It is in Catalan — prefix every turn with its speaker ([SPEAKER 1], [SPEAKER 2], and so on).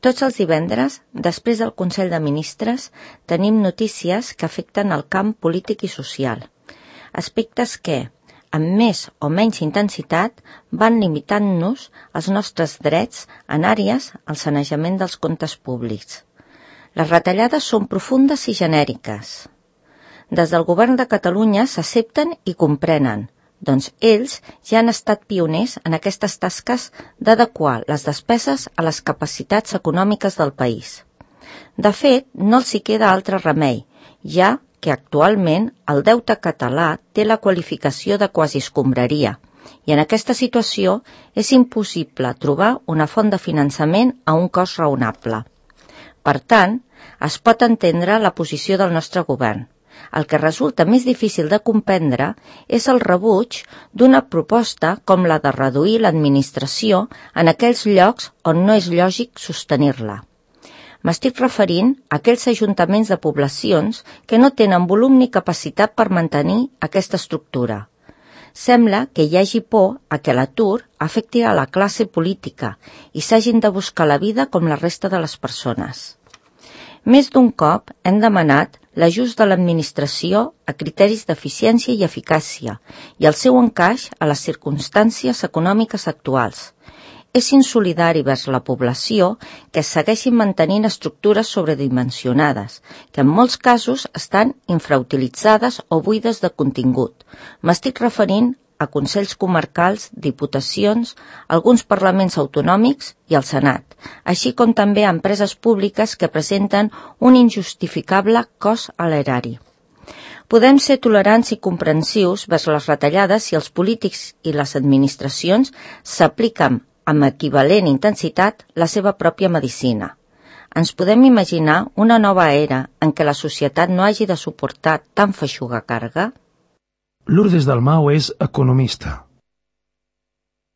[SPEAKER 1] Tots els divendres, després del Consell de Ministres, tenim notícies que afecten el camp polític i social. Aspectes que, amb més o menys intensitat, van limitant-nos els nostres drets en àrees al sanejament dels comptes públics. Les retallades són profundes i genèriques. Des del govern de Catalunya s'accepten i comprenen, doncs ells ja han estat pioners en aquestes tasques d'adequar les despeses a les capacitats econòmiques del país. De fet, no els hi queda altre remei, ja que actualment el deute català té la qualificació de quasi escombraria, i en aquesta situació és impossible trobar una font de finançament a un cost raonable. Per tant, es pot entendre la posició del nostre govern. El que resulta més difícil de comprendre és el rebuig d'una proposta com la de reduir l'administració en aquells llocs on no és lògic sostenir-la. M'estic referint a aquells ajuntaments de poblacions que no tenen volum ni capacitat per mantenir aquesta estructura. Sembla que hi hagi por a que l'atur afecti a la classe política i s'hagin de buscar la vida com la resta de les persones. Més d'un cop hem demanat l'ajust de l'administració a criteris d'eficiència i eficàcia i el seu encaix a les circumstàncies econòmiques actuals. És insolidari vers la població que es segueixin mantenint estructures sobredimensionades, que en molts casos estan infrautilitzades o buides de contingut. M'estic referint a consells comarcals, diputacions, alguns parlaments autonòmics i el Senat, així com també a empreses públiques que presenten un injustificable cost a l'erari. Podem ser tolerants i comprensius vers les retallades si els polítics i les administracions s'apliquen amb equivalent intensitat la seva pròpia medicina. Ens podem imaginar una nova era en què la societat no hagi de suportar tan feixuga càrrega?
[SPEAKER 2] Lourdes Dalmau és economista.